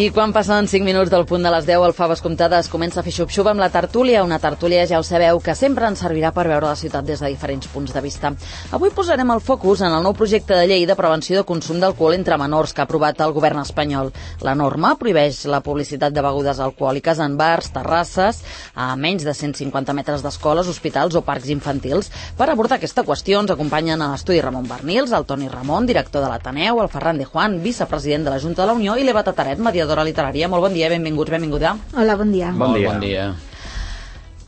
I quan passen 5 minuts del punt de les 10, el Faves Comptades comença a fer xup-xup amb la tertúlia. Una tertúlia, ja ho sabeu, que sempre ens servirà per veure la ciutat des de diferents punts de vista. Avui posarem el focus en el nou projecte de llei de prevenció de consum d'alcohol entre menors que ha aprovat el govern espanyol. La norma prohibeix la publicitat de begudes alcohòliques en bars, terrasses, a menys de 150 metres d'escoles, hospitals o parcs infantils. Per abordar aquesta qüestió ens acompanyen a l'estudi Ramon Bernils, el Toni Ramon, director de l'Ateneu, el Ferran de Juan, vicepresident de la Junta de la Unió, i l'Eva Tataret, mediadora literària. Molt bon dia, benvinguts, benvinguda. Hola, bon dia. Bon dia.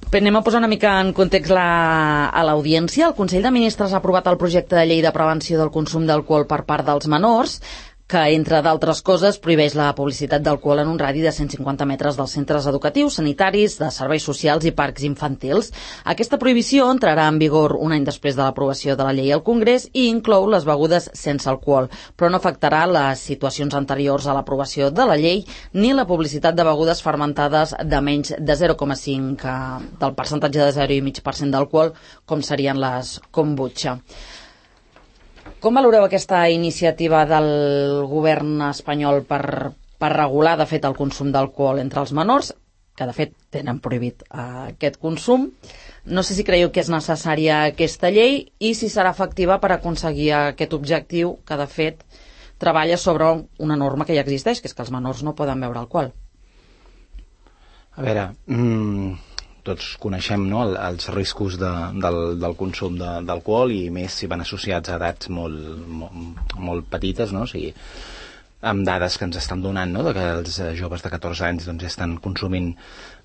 Bé, anem a posar una mica en context a l'audiència. El Consell de Ministres ha aprovat el projecte de llei de prevenció del consum d'alcohol per part dels menors, que, entre d'altres coses, prohibeix la publicitat d'alcohol en un radi de 150 metres dels centres educatius, sanitaris, de serveis socials i parcs infantils. Aquesta prohibició entrarà en vigor un any després de l'aprovació de la llei al Congrés i inclou les begudes sense alcohol, però no afectarà les situacions anteriors a l'aprovació de la llei ni la publicitat de begudes fermentades de menys de 0,5 del percentatge de 0,5% d'alcohol, com serien les kombucha. Com valoreu aquesta iniciativa del govern espanyol per regular, de fet, el consum d'alcohol entre els menors, que, de fet, tenen prohibit aquest consum? No sé si creieu que és necessària aquesta llei i si serà efectiva per aconseguir aquest objectiu que, de fet, treballa sobre una norma que ja existeix, que és que els menors no poden beure alcohol. A veure, tots coneixem, no, els riscos del consum d'alcohol, i més si van associats a edats molt petites, no? O sigui, amb dades que ens estan donant, no?, de que els joves de 14 anys doncs, ja estan consumint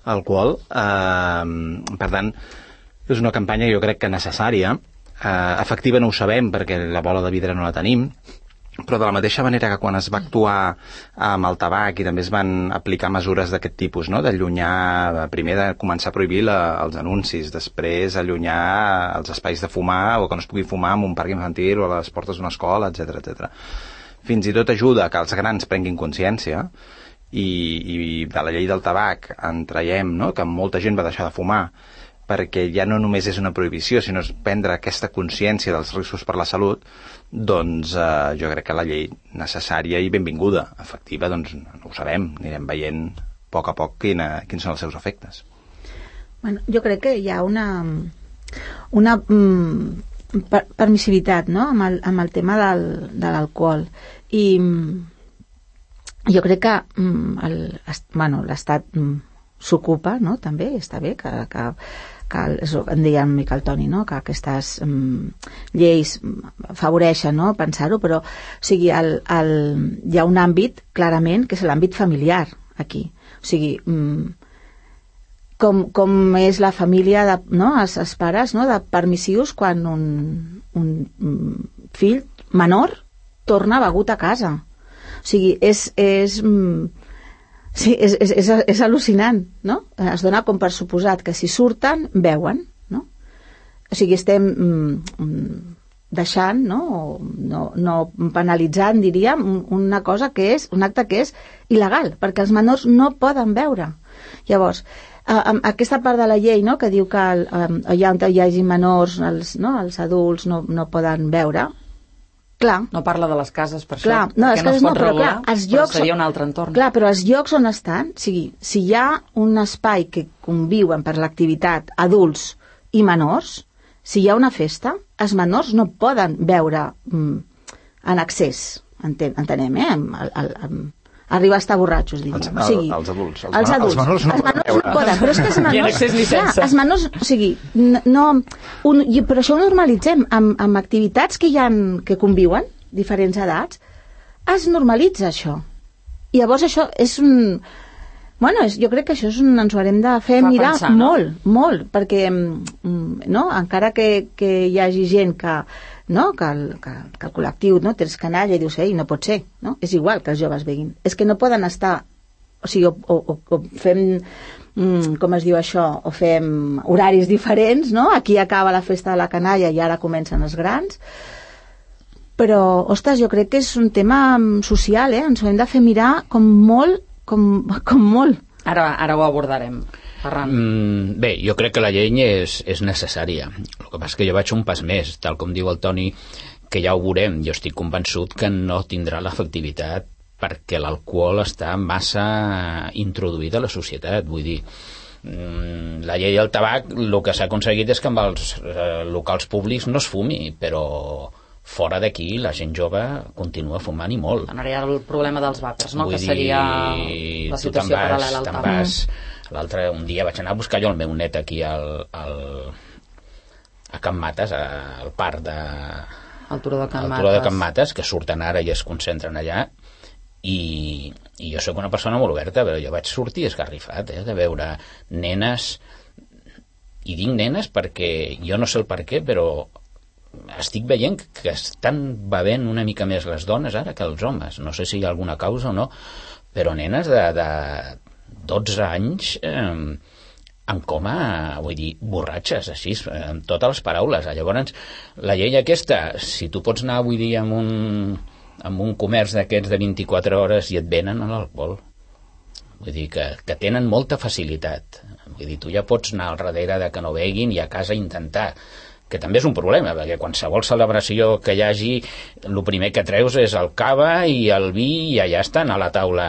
alcohol. Per tant, és una campanya, jo crec que necessària. Efectiva no ho sabem perquè la bola de vidre no la tenim, però de la mateixa manera que quan es va actuar amb el tabac i també es van aplicar mesures d'aquest tipus, no?, d'allunyar, primer de començar a prohibir els anuncis, després allunyar els espais de fumar o que no es pugui fumar en un parc infantil o a les portes d'una escola, etc. Fins i tot ajuda que els grans prenguin consciència, i de la llei del tabac en traiem, no?, que molta gent va deixar de fumar perquè ja no només és una prohibició, sinó és prendre aquesta consciència dels riscos per la salut. Doncs jo crec que la llei necessària i benvinguda. Efectiva, doncs no ho sabem, anirem veient a poc quins són els seus efectes. Bueno, jo crec que hi ha una permissivitat, no?, amb el tema de l'alcohol, i jo crec que l'Estat s'ocupa, no?, també està bé que em deia una mica el Toni, no?, que aquestes lleis afavoreixen, no?, pensar-ho, però o sigui, hi ha un àmbit clarament que és l'àmbit familiar aquí, o sigui, com és la família no?, els pares, no?, de permissius quan un fill menor torna begut a casa. O sigui, sí, és al·lucinant, no? Es dona com per suposat que si surten, beuen, no? O sigui, estem deixant, no penalitzant, diríem, una cosa que és, un acte que és il·legal, perquè els menors no poden beure. Llavors, aquesta part de la llei, no?, que diu que allà on hi hagi menors, els adults no poden beure. Clar. No parla de les cases, per clar, això, perquè no es pot regular, però seria un altre entorn. Clar, però els llocs on estan, o sigui, si hi ha un espai que conviuen per l'activitat adults i menors, si hi ha una festa, els menors no poden beure en excés, entenem, arribar a estar borratxos, diguem. Els adults. Els menors no poden. Però és que els menors... Ni en excés ni sense. Els menors, o sigui, però això ho normalitzem amb activitats que conviuen, diferents edats, es normalitza això. I llavors això és un... Bueno, jo crec que això ens ho haurem de fer mirar pensar, molt, perquè encara que hi hagi gent que el col·lectiu tens canalla i dius, ei, no pot ser, no? És igual que els joves beguin. És que no poden estar, o sigui, o fem, com es diu això, o fem horaris diferents, no? Aquí acaba la festa de la canalla i ara comencen els grans. Però, ostres, jo crec que és un tema social, ens ho hem de fer mirar com molt. Ara ho abordarem. Ferran. Bé, jo crec que la llei és necessària. El que passa és que jo vaig un pas més, tal com diu el Toni, que ja ho veurem. Jo estic convençut que no tindrà l'efectivitat perquè l'alcohol està massa introduït a la societat, vull dir, la llei del tabac, el que s'ha aconseguit és que amb els locals públics no es fumi, però fora d'aquí la gent jove continua fumant i molt. Ara hi ha el problema dels vapers, no? Vull que seria dir, la situació paral·lela al tabac. L'altre, un dia vaig anar a buscar jo el meu net aquí a Can Mates, al parc de... Al Turó de Can Mates, que surten ara i es concentren allà, i jo sóc una persona molt oberta, però jo vaig sortir esgarrifat de veure nenes, i dic nenes perquè jo no sé el per què, però estic veient que estan bevent una mica més les dones ara que els homes, no sé si hi ha alguna causa o no, però nenes de 12 anys en coma, vull dir, borratxes, així, amb totes les paraules. Llavors, la llei aquesta, si tu pots anar, vull dir, amb un comerç d'aquests de 24 hores i et venen a l'alcohol. Vull dir que tenen molta facilitat. Vull dir, tu ja pots anar al darrere de que no beguin i a casa intentar, que també és un problema, perquè qualsevol celebració que hi hagi, el primer que treus és el cava i el vi i allà estan a la taula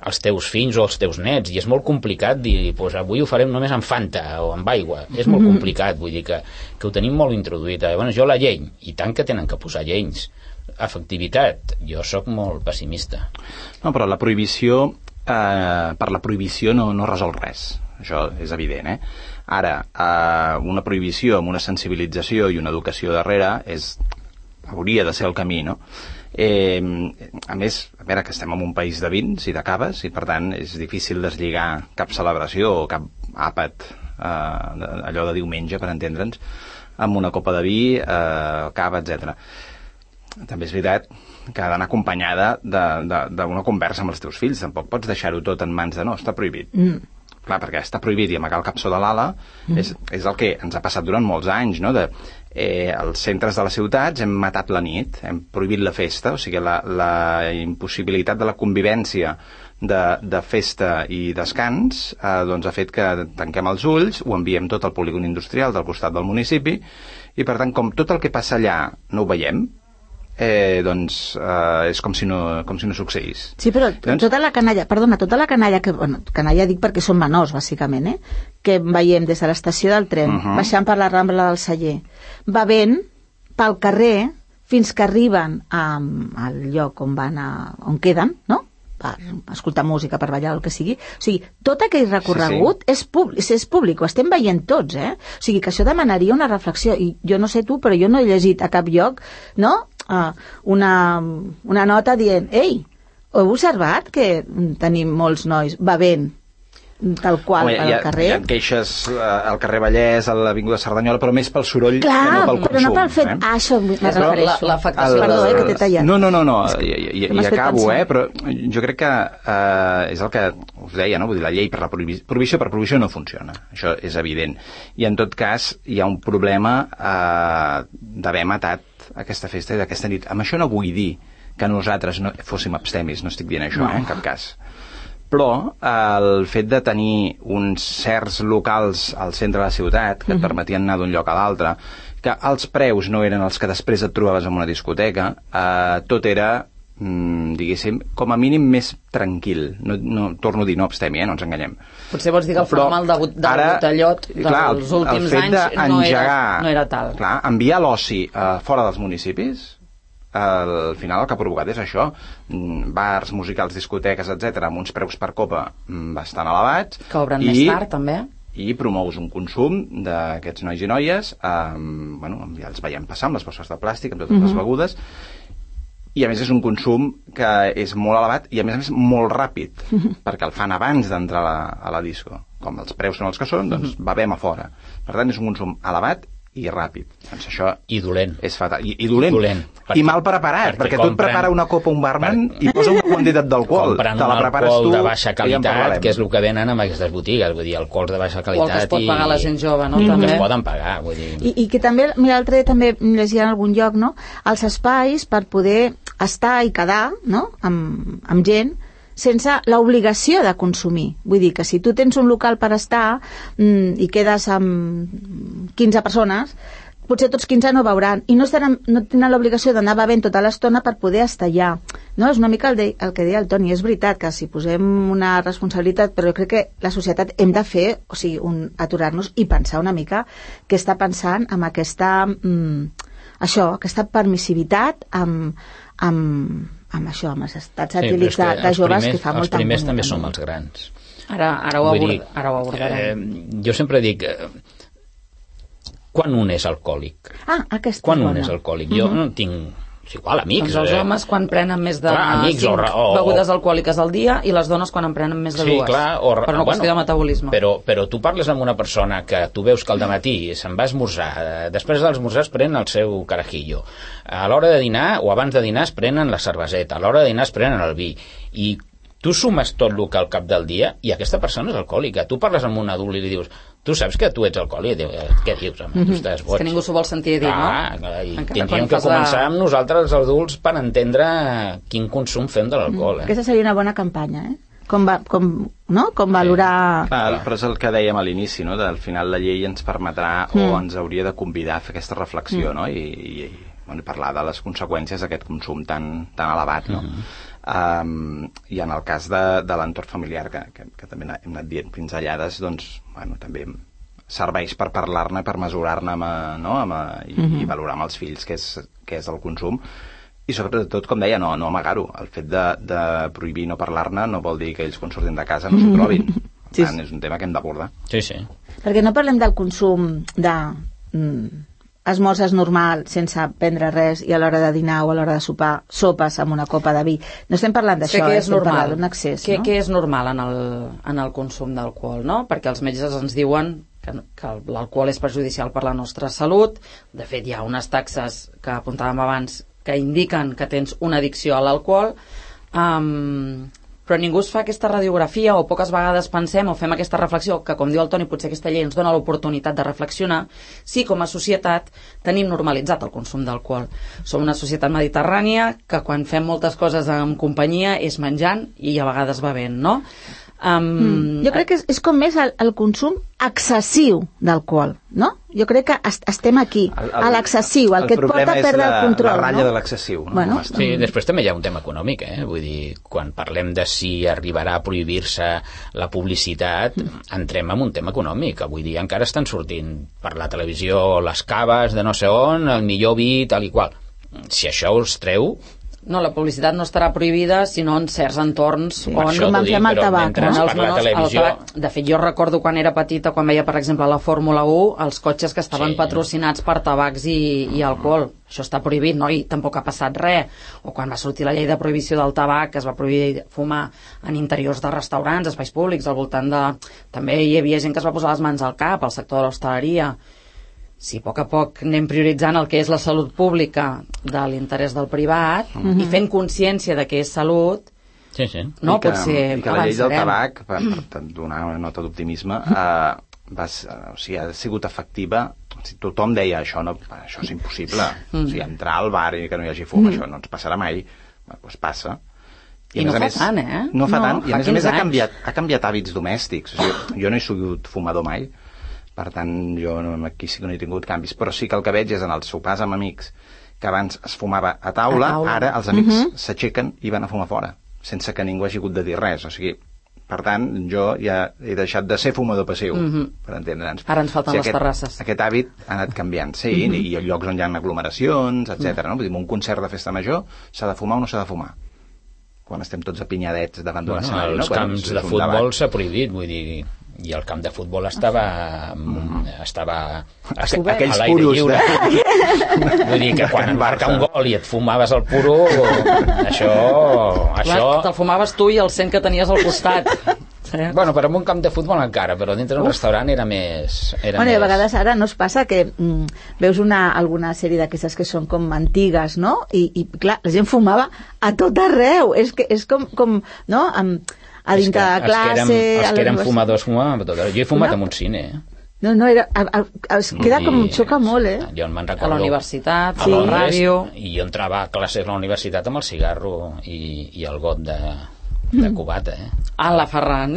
els teus fills o els teus nets, i és molt complicat dir, pues avui ho farem només amb Fanta o amb aigua, és molt complicat, vull dir que ho tenim molt introduït. Llavors jo la llei, i tant que tenen que posar lleis, efectivitat, jo sóc molt pessimista. No, però la prohibició, per la prohibició no resol res, això és evident, Ara, una prohibició amb una sensibilització i una educació darrere hauria de ser el camí, no? A més, a veure, que estem en un país de vins i de caves, i per tant és difícil deslligar cap celebració o cap àpat, allò de diumenge, per entendre'ns, amb una copa de vi, cava, etc. També és veritat que ha d'anar acompanyada d'una conversa amb els teus fills. Tampoc pots deixar-ho tot en mans de no, està prohibit. Clar, perquè està prohibit i amagar el cap sota l'ala és el que ens ha passat durant molts anys, no? Els centres de les ciutats hem matat la nit, hem prohibit la festa, o sigui, la impossibilitat de la convivència de festa i descans doncs ha fet que tanquem els ulls, ho enviem tot al polígon industrial del costat del municipi, i per tant, com tot el que passa allà no ho veiem, doncs és com si no succeís. Sí, però tota la canalla, que, bueno, canalla dic perquè són menors, bàsicament, que veiem des de l'estació del tren, baixant per la Rambla del Celler, bevent pel carrer fins que arriben al lloc on queden, no?, per escoltar música, per ballar, el que sigui. O sigui, tot aquell recorregut és públic, ho estem veient tots, O sigui, que això demanaria una reflexió, i jo no sé tu, però jo no he llegit a cap lloc, no?, una nota dient, ei, heu observat que tenim molts nois bevent tal qual al carrer? Hi ha queixes al carrer Vallès, a l'Avinguda Cerdanyola, però més pel soroll que no pel consum. Però no pel fet... això m'hi refereixo. L'afectació... Perdó, que t'he tallat. No, i acabo, però jo crec que és el que us deia, no? Vull dir, la llei per la prohibició per prohibició no funciona. Això és evident. I en tot cas hi ha un problema d'haver matat aquesta festa i d'aquesta nit. Amb això no vull dir que nosaltres no fóssim abstemis, no estic dient això, en cap cas. Però el fet de tenir uns certs locals al centre de la ciutat que et permetien anar d'un lloc a l'altre, que els preus no eren els que després et trobaves en una discoteca, tot era, diguéssim, com a mínim més tranquil. No, torno a dir, no abstemi, no ens enganyem. Potser vols dir que el formal del botellot dels últims anys no era tal. Clar, enviar l'oci fora dels municipis, al final el que ha provocat és això, bars, musicals, discoteques, etc, amb uns preus per copa bastant elevats, que obren més tard també, i promous un consum d'aquests nois i noies, ja els veiem passar amb les bosses de plàstic, amb totes les begudes, i a més és un consum que és molt elevat i a més molt ràpid, perquè el fan abans d'entrar a la disco. Com els preus són els que són, doncs bevem a fora. Per tant, és un consum elevat i ràpid. Doncs això i dolent. És fatal. I dolent. I mal preparat, perquè tu et prepara una copa un barman i posa una quantitat d'alcohol. Compren un alcohol de baixa qualitat, que és el que venen amb aquestes botigues, vull dir, alcohols de baixa qualitat. O el que es pot pagar la gent jove, no? També es poden pagar, vull dir. I que també, mira, l'altre dia també llegia en algun lloc, no?, els espais per poder estar i quedar, no?, amb gent, sense l'obligació de consumir. Vull dir que si tu tens un local per estar i quedes amb 15 persones, potser tots 15 no beuran i no tenen l'obligació d'anar bevent tota l'estona per poder estar allà, no? És una mica el que deia el Toni, és veritat que si posem una responsabilitat, però jo crec que la societat hem de fer, o sigui, aturar-nos i pensar una mica què està pensant amb aquesta aquesta permissivitat amb això, amb els estats etílics de joves que fa molta angúnia. Els primers també som els grans. Ara ho abordarem. Jo sempre dic, quan un és alcohòlic? Quan un és alcohòlic? Jo no tinc... És igual, amics. Doncs els homes quan prenen més de 5 begudes alcohòliques al dia i les dones quan en prenen més de 2. Sí, clar. Per una qüestió de metabolisme. Però tu parles amb una persona que tu veus que al dematí se'n va a esmorzar, després d'esmorzar es pren el seu carajillo, a l'hora de dinar o abans de dinar es prenen la cerveseta, a l'hora de dinar es prenen el vi, i tu sumes tot el que al cap del dia i aquesta persona és alcohòlica. Tu parles amb un adult i li dius, tu saps que tu ets alcohòlic? I diu, què dius, home? Tu estàs boig. És que ningú s'ho vol sentir dir, no? I tindríem que començar amb nosaltres, els adults, per entendre quin consum fem de l'alcohol. Aquesta seria una bona campanya, Com valorar... Clar, però és el que dèiem a l'inici, no? Al final la llei ens permetrà o ens hauria de convidar a fer aquesta reflexió, no? I parlar de les conseqüències d'aquest consum tan elevat, no? I en el cas de l'entorn familiar que també hem anat dient pinzellades, doncs també serveix per parlar-ne, per mesurar-ne i valorar amb els fills què és el consum, i sobretot, com deia, no amagar-ho. El fet de prohibir no parlar-ne no vol dir que ells quan surtin de casa no s'ho trobin. Per tant, és un tema que hem d'abordar. Sí, sí. Perquè no parlem del consum de esmorzes normal sense prendre res i a l'hora de dinar o a l'hora de sopar sopes amb una copa de vi. No estem parlant d'això, estem parlant d'un excés. Què és normal en el consum d'alcohol, no? Perquè els metges ens diuen que l'alcohol és perjudicial per la nostra salut. De fet, hi ha unes taxes que apuntàvem abans que indiquen que tens una addicció a l'alcohol, però ningú es fa aquesta radiografia, o poques vegades pensem o fem aquesta reflexió, que com diu el Toni, potser aquesta llei ens dona l'oportunitat de reflexionar si com a societat tenim normalitzat el consum d'alcohol. Som una societat mediterrània que quan fem moltes coses en companyia és menjant i a vegades bevent, no? Jo crec que és com més el consum excessiu d'alcohol, no? Jo crec que estem aquí, a l'excessiu, el que et porta a perdre el control. La ratlla de l'excessiu. Bueno, sí, després també hi ha un tema econòmic, vull dir, quan parlem de si arribarà a prohibir-se la publicitat, entrem en un tema econòmic. Avui dia encara estan sortint per la televisió les caves de no sé on, el millor vi, tal i qual. Si això us treu... No, la publicitat no estarà prohibida, sinó en certs entorns on van fer amb el tabac. De fet, jo recordo quan era petita, quan veia, per exemple, la Fórmula 1, els cotxes que estaven patrocinats per tabacs i alcohol. Això està prohibit, no? I tampoc ha passat res. O quan va sortir la llei de prohibició del tabac, que es va prohibir fumar en interiors de restaurants, espais públics, al voltant de... També hi havia gent que es va posar les mans al cap, al sector de l'hostaleria. Si a poc anem prioritzant el que és la salut pública de l'interès del privat i fent consciència de què és salut, no pot ser... I que la llei del tabac, per donar una nota d'optimisme, ha sigut efectiva. Tothom deia això és impossible. Entrar al bar i que no hi hagi fum, això no ens passarà mai. Doncs passa. I no fa tant, No fa tant, i a més ha canviat hàbits domèstics. Jo no he sigut fumador mai, per tant, jo aquí sí que no he tingut canvis, però sí que el que veig és en els sopars amb amics, que abans es fumava a taula, ara els amics s'aixequen i van a fumar fora, sense que ningú hagi hagut de dir res. O sigui, per tant, jo ja he deixat de ser fumador passiu, per entendre'ns. Ara ens falten les terrasses. Aquest hàbit ha anat canviant, sí, i hi ha llocs on hi ha aglomeracions, etc. No? Vull dir, un concert de festa major s'ha de fumar o no s'ha de fumar? Quan estem tots apinyadets davant d'un escenari. Els camps de futbol s'ha prohibit, vull dir... I el camp de futbol estava a l'aire lliure. Vull dir que quan marca un gol i et fumaves el puro, això... Te'l fumaves tu i el 100 que tenies al costat. Bueno, però en un camp de futbol encara, però dintre d'un restaurant era més... I a vegades ara no es passa que veus alguna sèrie d'aquestes que són com antigues, no? I clar, la gent fumava a tot arreu. És com no? A dintre de classe... Els que eren fumadors fumaven a tot arreu. Jo he fumat en un cine, No, es queda com... xoca molt, Jo me'n recordo... A la universitat, a la ràdio... I jo entrava a classes a la universitat amb el cigarro i el got de cubata, la Ferran.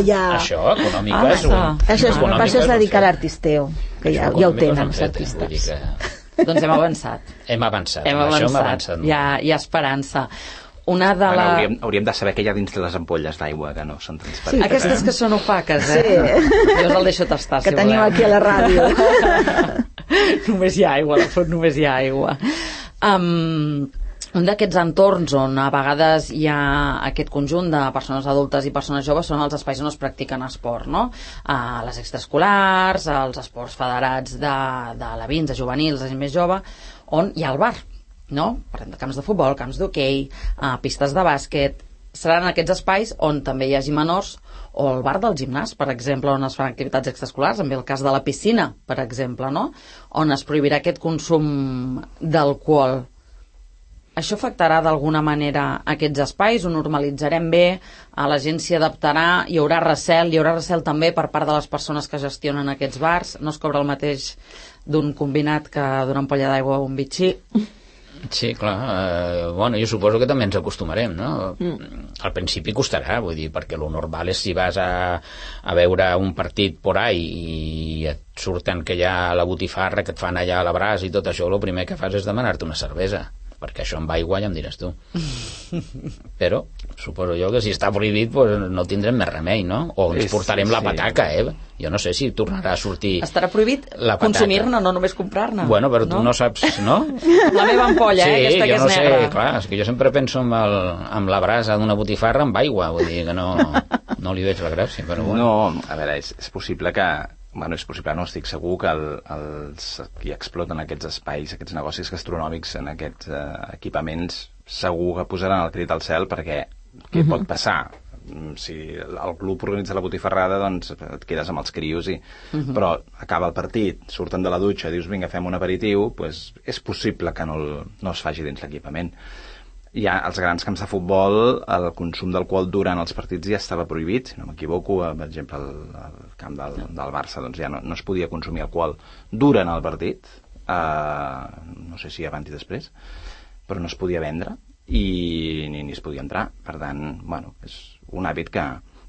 Ja. Això, econòmica, és un... Això és dedicar a l'artisteo. que ja ho tenen, els artistes. Doncs hem avançat. Hem avançat. Això hem avançat. Hi ha esperança. Una de hauríem de saber què hi ha dins de les ampolles d'aigua, que no són transparents. Aquestes que són opaques, eh? Sí. Jo us el deixo tastar, que teniu aquí a la ràdio. Només hi ha aigua, a la font només hi ha aigua. Un d'aquests entorns on a vegades hi ha aquest conjunt de persones adultes i persones joves són els espais on es practiquen esport, no? Les extraescolars, els esports federats de alevins, de juvenils, de gent més jove, on hi ha el bar, no? Parlem de camps de futbol, camps d'hoquei, pistes de bàsquet. Seran aquests espais on també hi hagi menors, o el bar del gimnàs, per exemple, on es fan activitats extraescolars, també el cas de la piscina, per exemple, no? On es prohibirà aquest consum d'alcohol. Això afectarà d'alguna manera aquests espais? Ho normalitzarem bé? A la gent s'hi adaptarà? Hi haurà recel també per part de les persones que gestionen aquests bars? No es cobra el mateix d'un combinat que d'una ampolla d'aigua o un bitxí? Sí, clar. Bueno, jo suposo que també ens acostumarem, no? Al principi costarà, vull dir, perquè lo normal és si vas a veure un partit por ahí i et surten que hi ha la botifarra que et fan allà a la brasa i tot això, el primer que fas és demanar-te una cervesa, perquè això amb aigua ja em diràs tu. Però suposo jo que si està prohibit pues no tindrem més remei, no? O ens portarem la pataca, Jo no sé si tornarà a sortir... Estarà prohibit consumir-ne, no només comprar-ne. Bueno, però tu no saps, no? La meva ampolla, aquesta que és negra. Sí, jo no sé, clar, és que jo sempre penso amb la brasa d'una botifarra amb aigua, vull dir que no li veig la gràcia, però bueno. No, a veure, és possible que... Bueno, és possible, no estic segur que els qui exploten aquests espais, aquests negocis gastronòmics en aquests equipaments, segur que posaran el crit al cel perquè què pot passar? Si el club organitza la botifarrada, doncs et quedes amb els crios però acaba el partit, surten de la dutxa, dius vinga, fem un aperitiu, doncs és possible que no es faci dins l'equipament. Ja als grans camps de futbol el consum d'alcohol durant els partits ja estava prohibit, si no m'equivoco, per exemple al camp del Barça doncs ja no es podia consumir alcohol durant el partit, no sé si abans i després, però no es podia vendre i ni es podia entrar, per tant, bueno, és un hàbit que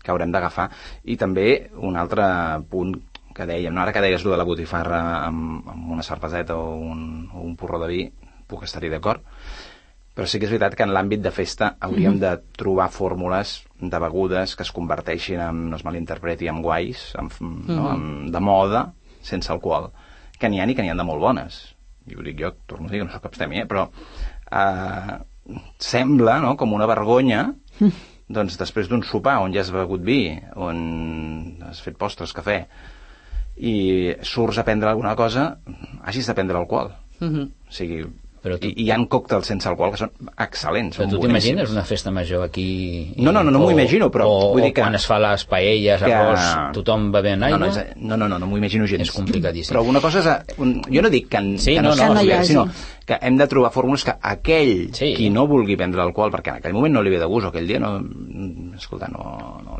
haurem d'agafar. I també un altre punt que dèiem, no? Ara que deies de la botifarra amb una cerveseta o un porró de vi, puc estar-hi d'acord, però sí que és veritat que en l'àmbit de festa hauríem de trobar fórmules de begudes que es converteixin en, no es malinterpreti, en guais, de moda, sense alcohol, que n'hi ha i que n'hi ha de molt bones. I ho dic jo, torno a dir que no soc abstemi, però sembla, no?, com una vergonya, doncs després d'un sopar on ja has begut vi, on has fet postres, cafè, i surts a prendre alguna cosa, hagis de prendre alcohol. O sigui... I hi ha còctels sense alcohol que són excel·lents. Però tu t'imagines una festa major aquí? No m'ho imagino, però vull dir que... O quan es fa les paelles, arròs, tothom bevent aigua? No m'ho imagino gens. És complicadíssim. Però una cosa és... Jo no dic que no sinó que hem de trobar fórmules que aquell qui no vulgui prendre alcohol, perquè en aquell moment no li ve de gust, o aquell dia no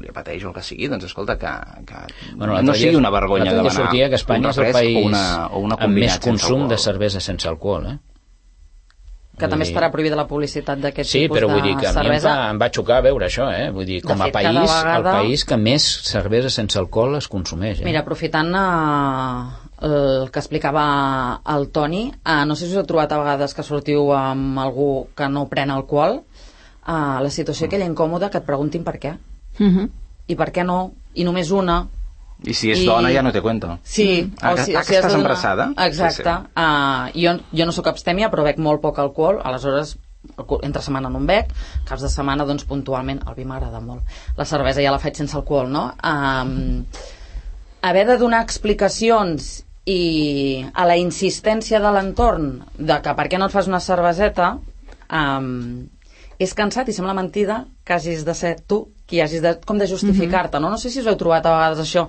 li apeteix o el que sigui, doncs escolta, que no sigui una vergonya demanar sortia que Espanya és el país amb més consum de cervesa sense alcohol, que també estarà prohibida la publicitat d'aquest tipus de cervesa. Sí, però vull dir que a mi em va xocar veure això, Vull dir, com a país, el país que més cervesa sense alcohol es consumeix. Mira, aprofitant el que explicava el Toni, no sé si us heu trobat a vegades que sortiu amb algú que no pren alcohol, la situació aquella incòmoda que et preguntin per què. I per què no? I només una... I si és dona ja no te cuento. Sí. Si estàs embarassada? Exacte. Jo no sóc abstèmia, però bec molt poc alcohol, aleshores entre setmana no en bec, caps de setmana doncs puntualment, el vi m'agrada molt, la cervesa ja la faig sense alcohol, no? Haver de donar explicacions i a la insistència de l'entorn de que per què no et fas una cerveseta, és cansat i sembla mentida que hagis de ser tu qui hagis de justificar-te, no? No sé si us heu trobat a vegades això,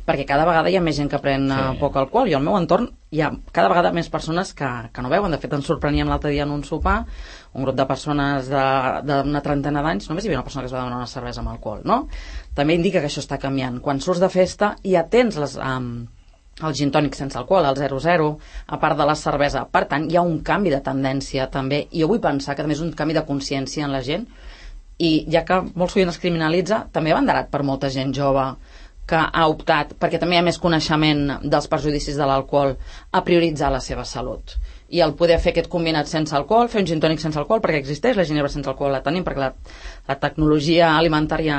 perquè cada vegada hi ha més gent que pren poc alcohol, i al meu entorn hi ha cada vegada més persones que no beuen. De fet, ens sorpreníem l'altre dia en un sopar, un grup de persones d'una trentena d'anys, només hi havia una persona que es va demanar una cervesa amb alcohol, no? També indica que això està canviant. Quan surts de festa ja tens el gin tònic sense alcohol, el 0,0, a part de la cervesa. Per tant, hi ha un canvi de tendència també, i jo vull pensar que també és un canvi de consciència en la gent, i ja que molt sovint es criminalitza, també va enderat per molta gent jove que ha optat, perquè també hi ha més coneixement dels perjudicis de l'alcohol, a prioritzar la seva salut. I el poder fer aquest combinat sense alcohol, fer un gin tònic sense alcohol, perquè existeix, la ginebra sense alcohol la tenim, perquè la tecnologia alimentària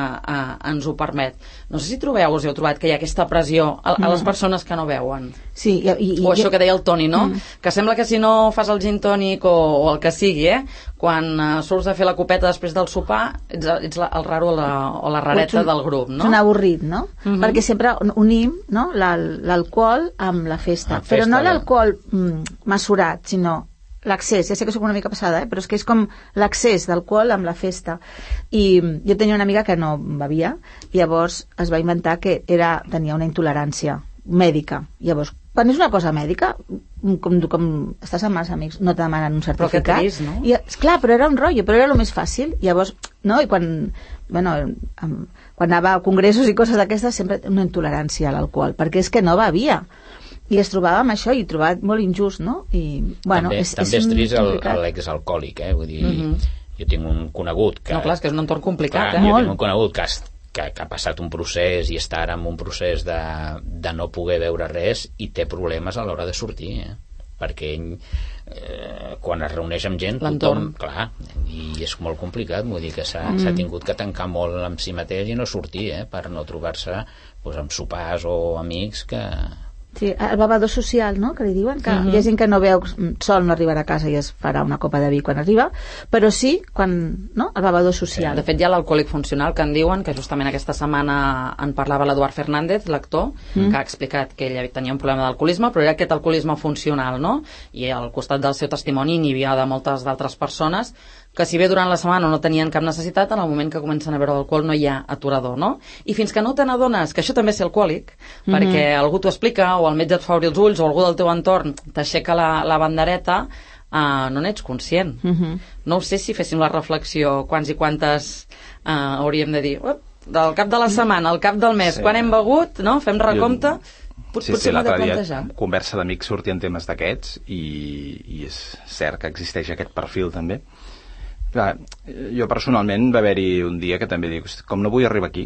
ens ho permet. No sé si trobeu, us heu trobat que hi ha aquesta pressió a les persones que no beuen. Sí, o això que deia el Toni, no? Que sembla que si no fas el gin tònic o el que sigui, quan surts a fer la copeta després del sopar, ets el raro o la rareta del grup, no? És un avorrit, no? Perquè sempre unim, no, l'alcohol amb la festa. Però no l'alcohol mesurat, sinó l'accés. Ja sé que soc una mica passada, però és que és com l'accés d'alcohol amb la festa. I jo tenia una amiga que no bevia i llavors es va inventar que tenia una intolerància mèdica. Llavors, quan és una cosa mèdica, com estàs amb els amics, no te demanen un certificat. Però que trist, no? I, esclar, però era un rotllo, però era el més fàcil. Llavors, no? I quan anava a congressos i coses d'aquestes, sempre una intolerància a l'alcohol, perquè és que no bevia. I es trobava amb això i trobat molt injust, no? I, bueno, també és trist l'exalcohòlic, vull dir, jo tinc un conegut que... No, clar, és que és un entorn complicat, Jo tinc un conegut que ha passat un procés i està ara en un procés de no poder veure res i té problemes a l'hora de sortir, perquè ell, quan es reuneix amb gent, tothom, clar, i és molt complicat, vull dir que s'ha tingut que tancar molt amb si mateix i no sortir, per no trobar-se amb sopars o amics que... Sí, el bevedor social, no?, que li diuen, que hi ha gent que no veu sol, no arribarà a casa i es farà una copa de vi quan arriba, però sí, no?, el bevedor social. De fet, hi ha l'alcohòlic funcional, que en diuen, que justament aquesta setmana en parlava l'Eduard Fernández, l'actor, que ha explicat que ell tenia un problema d'alcoholisme, però era aquest alcoholisme funcional, no?, i al costat del seu testimoni n'hi havia de moltes d'altres persones que si bé durant la setmana no tenien cap necessitat, en el moment que comencen a beure alcohol no hi ha aturador, no? I fins que no te n'adones que això també és ser alcohòlic, perquè algú t'ho explica, o el metge et fa obrir els ulls, o algú del teu entorn t'aixeca la bandereta, no n'ets conscient. No ho sé si féssim la reflexió quants i quantes hauríem de dir, del cap de la setmana, al cap del mes, quan hem begut, no? Fem recompte. Sí, l'altre dia conversa d'amics sortien temes d'aquests i és cert que existeix aquest perfil també. Clar, jo personalment va haver-hi un dia que també dic, com no vull arribar aquí,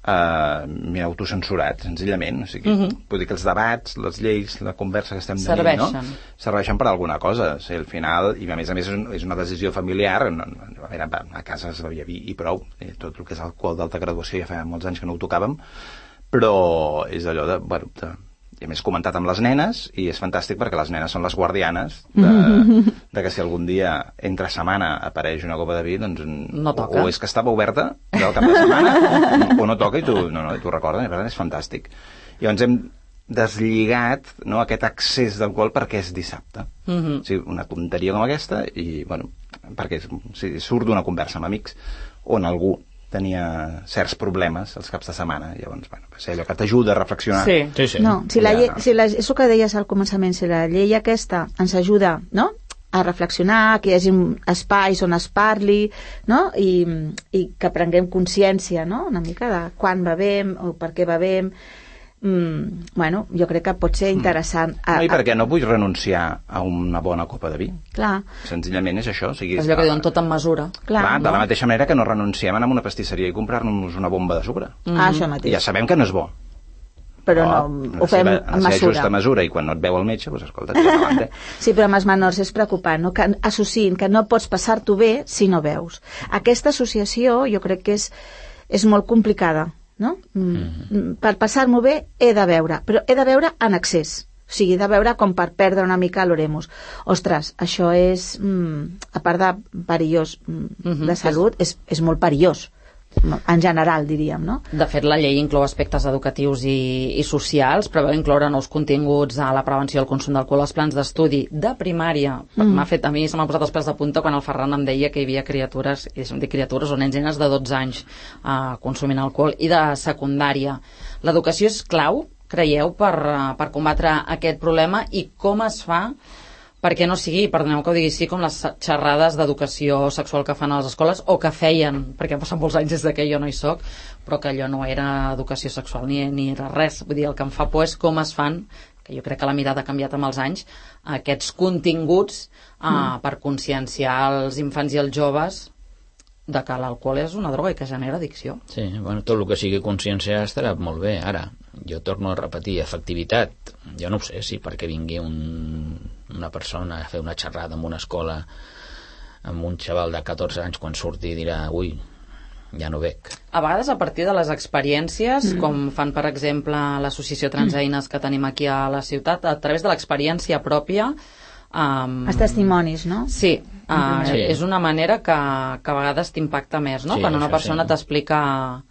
m'he autocensurat, senzillament. O sigui, vull dir que els debats, les lleis, la conversa que estem tenint, no? Serveixen per alguna cosa. O sigui, al final, i a més és una decisió familiar, a casa es bevia vi i prou, tot el que és alcohol d'alta graduació ja fa molts anys que no ho tocàvem, però és allò de, i a més comentat amb les nenes, i és fantàstic perquè les nenes són les guardianes de que si algun dia entre setmana apareix una copa de vi, doncs no toca. O és que estava oberta del cap de setmana o no toca i tu recordes, i per tant és fantàstic. Llavors hem deslligat, no, aquest accés d'alcohol perquè és dissabte. O sigui, una tonteria com aquesta i, perquè surt d'una conversa amb amics on algú tenia certs problemes els caps de setmana, llavors, va ser allò que t'ajuda a reflexionar. Sí. No, és el que deies al començament, si la llei aquesta ens ajuda, no?, a reflexionar, que hi hagi espais on es parli, no?, i que prenguem consciència, no?, una mica de quan bevem o per què bevem, jo crec que pot ser interessant. I perquè no vull renunciar a una bona copa de vi. Clar. Senzillament és això. O sigui, és allò que diuen tot en mesura. Clar, de la mateixa manera que no renunciem a anar a una pastisseria i comprar-nos una bomba de sucre. Això mateix. Ja sabem que no és bo. Però no ho fem en mesura. Justa mesura, i quan no et veu el metge, doncs escolta, endavant. Sí, però amb els menors és preocupant, no?, que associïn que no pots passar-t'ho bé si no veus. Aquesta associació jo crec que és molt complicada, no? Per passar-m'ho bé he de veure, però he de veure en excés, o sigui, he de veure com per perdre una mica l'oremus. Ostres, això és, a part de perillós de salut, és molt perillós en general, diríem, no? De fet, la llei inclou aspectes educatius i socials, preveu incloure nous continguts a la prevenció del consum d'alcohol als plans d'estudi de primària. A mi se m'ha posat els pèls de punta quan el Ferran em deia que hi havia criatures, i deixa'm dir criatures, o nens i nenes de 12 anys consumint alcohol, i de secundària. L'educació és clau, creieu, per combatre aquest problema, i com es fa perquè no sigui, perdoneu que ho digui així, com les xerrades d'educació sexual que fan a les escoles, o que feien, perquè han passat molts anys des que jo no hi soc, però que allò no era educació sexual ni era res. Vull dir, el que em fa por és com es fan, que jo crec que la mirada ha canviat amb els anys, aquests continguts per conscienciar els infants i els joves de que l'alcohol és una droga i que genera addicció. Sí, bueno, tot el que sigui consciència estarà molt bé. Ara, jo torno a repetir, efectivitat, jo no ho sé si perquè vingui una persona a fer una xerrada en una escola amb un xaval de 14 anys, quan surti dirà, ui, ja no bec. A vegades a partir de les experiències, com fan per exemple l'associació Transeines que tenim aquí a la ciutat, a través de l'experiència pròpia, els testimonis, no? Sí, Sí. és una manera que a vegades t'impacta més, no? Sí, Quan una això persona sí. t'explica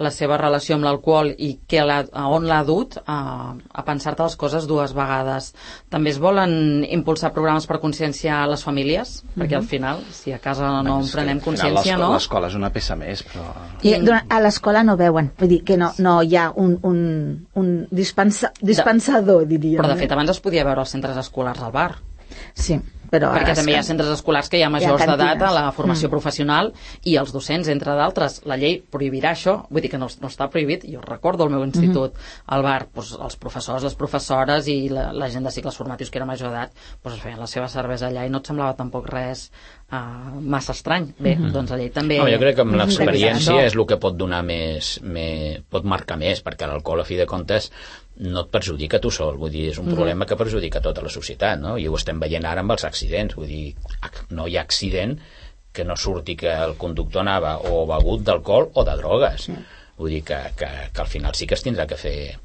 la seva relació amb l'alcohol i a on l'ha dut a pensar-te les coses dues vegades. També es volen impulsar programes per conscienciar les famílies, perquè al final, si a casa no en prenem consciència, no? L'escola és una peça més, però... I a l'escola no veuen, vull dir que no hi ha un dispensador, diríem. Però de fet abans es podia veure als centres escolars al bar. Sí, però... Perquè també hi ha centres escolars que hi ha majors d'edat a la formació Mm. professional i els docents, entre d'altres. La llei prohibirà això, vull dir que no està prohibit. Jo recordo al meu institut, al bar, doncs, els professors, les professores i la gent de cicles formatius que era major d'edat, doncs es feien la seva cervesa allà i no et semblava tampoc res massa estrany. Bé, doncs la llei també... No, jo crec que amb l'experiència això. és el que pot donar pot marcar més, perquè l'alcohol, a fi de comptes, no et perjudica tu sol, vull dir, és un problema que perjudica tota la societat, no? I ho estem veient ara amb els accidents, vull dir, no hi ha accident que no surti que el conductor anava o begut d'alcohol o de drogues. Vull dir que al final sí que es tindrà que fer,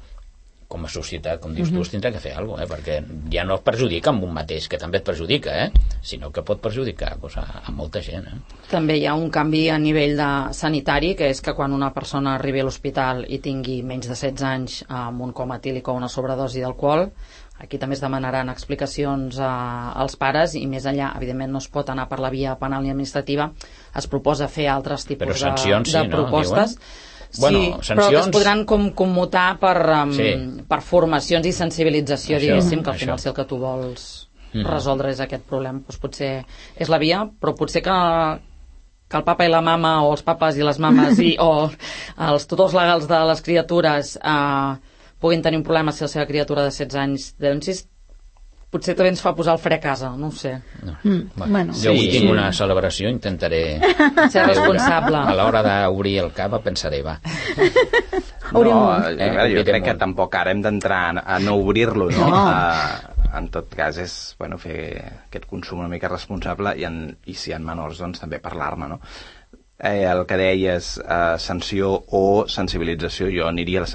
com a societat, com dius tu, es tindrà que fer alguna cosa, perquè ja no es perjudica amb un mateix, que també et perjudica, sinó que pot perjudicar doncs, a molta gent. També hi ha un canvi a nivell sanitari, que és que quan una persona arribi a l'hospital i tingui menys de 16 anys amb un coma etílic o una sobredosi d'alcohol, aquí també es demanaran explicacions als pares i més enllà, evidentment no es pot anar per la via penal ni administrativa, es proposa fer altres tipus però sancions, de sí, no? propostes. Diuen? Sí, Bueno, però que es sancions... podran commutar per formacions i sensibilització, Això, diguéssim, que al això. final si el que tu vols resoldre és aquest problema, doncs potser és la via, però potser que el papa i la mama o els papes i les mames o els tutors legals de les criatures puguin tenir un problema si la seva criatura de 16 anys denuncis, potser també ens fa posar el fre a casa, no ho sé. No. Bueno. Jo avui tinc una celebració, intentaré ser responsable. a l'hora d'obrir el cap pensaré, va. Jo crec que tampoc ara hem d'entrar a no obrir-lo, no? En tot cas és fer aquest consum una mica responsable i si hi ha menors doncs també parlar-ne, no? El que deies, sanció o sensibilització, jo aniria a la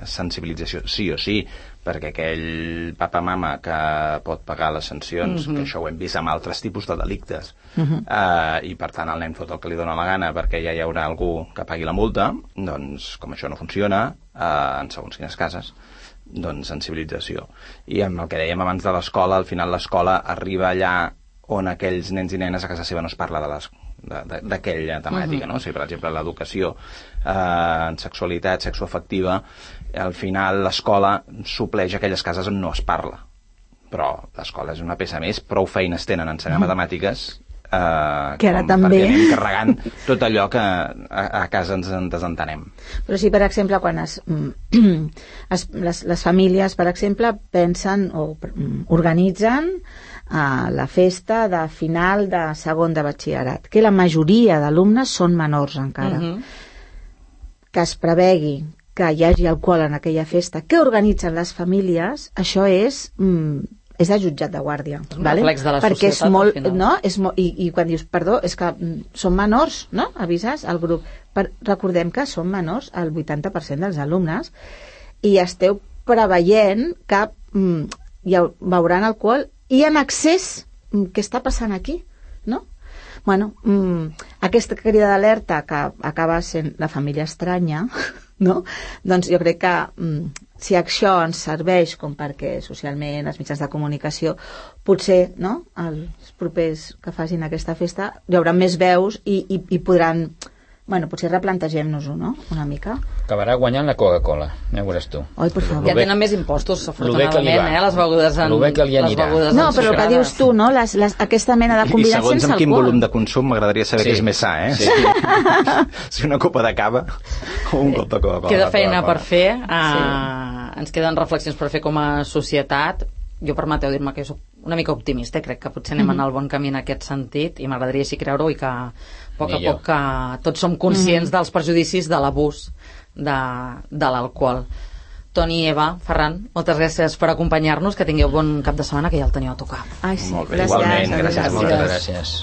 sensibilització sí o sí, perquè aquell papa-mama que pot pagar les sancions, que això ho hem vist amb altres tipus de delictes, i per tant el nen fot el que li dóna la gana perquè ja hi haurà algú que pagui la multa, doncs com això no funciona en segons quines cases, doncs sensibilització. I amb el que dèiem abans de l'escola, al final l'escola arriba allà on aquells nens i nenes a casa seva no es parla d'aquella temàtica, no? O sigui, per exemple, l'educació en sexualitat, sexoafectiva, al final l'escola supleix aquelles cases on no es parla. Però l'escola és una peça més, prou feines tenen a ensenyar matemàtiques que ara també perquè anem carregant tot allò que a casa ens en desentenem. Però sí, per exemple, quan les famílies, per exemple, pensen o organitzen la festa de final de segon de batxillerat, que la majoria d'alumnes són menors encara, que es prevegui que hi hagi alcohol en aquella festa que organitzen les famílies, això és de jutjat de guàrdia, vale? Perquè és molt, no? I quan dius, perdó, és que són menors, no? Avises al grup. Recordem que són menors el 80% dels alumnes i esteu preveient que veuran alcohol i en excés. Què està passant aquí? No? Bueno, aquesta crida d'alerta que acaba sent la família estranya, no? Doncs jo crec que si això ens serveix com perquè socialment els mitjans de comunicació potser, no?, els propers que facin aquesta festa hi haurà més veus i podran, bueno, potser replantegem-nos-ho, no?, una mica. Acabarà guanyant la Coca-Cola, ja ho veuràs tu. Oi, per favor. Ja tenen més impostos, afortunadament, les begudes en... Lo bé que li anirà. No, però el que dius tu, no?, aquesta mena de combinats sense alcohol. I segons amb quin volum de consum m'agradaria saber què és més sa, Sí. Si una copa de cava o un cop de Coca-Cola. Queda feina per fer, ens queden reflexions per fer com a societat. Jo, permeteu dir-me que jo soc una mica optimista, crec que potser anem en el bon camí en aquest sentit, i m'agradaria així creure-ho, i que a poc a poc que tots som conscients dels perjudicis de l'abús de l'alcohol. Toni, Eva, Ferran, moltes gràcies per acompanyar-nos, que tingueu bon cap de setmana, que ja el teniu a tocar. Ai, sí. Molt bé, Gràcies. igualment, gràcies, moltes gràcies.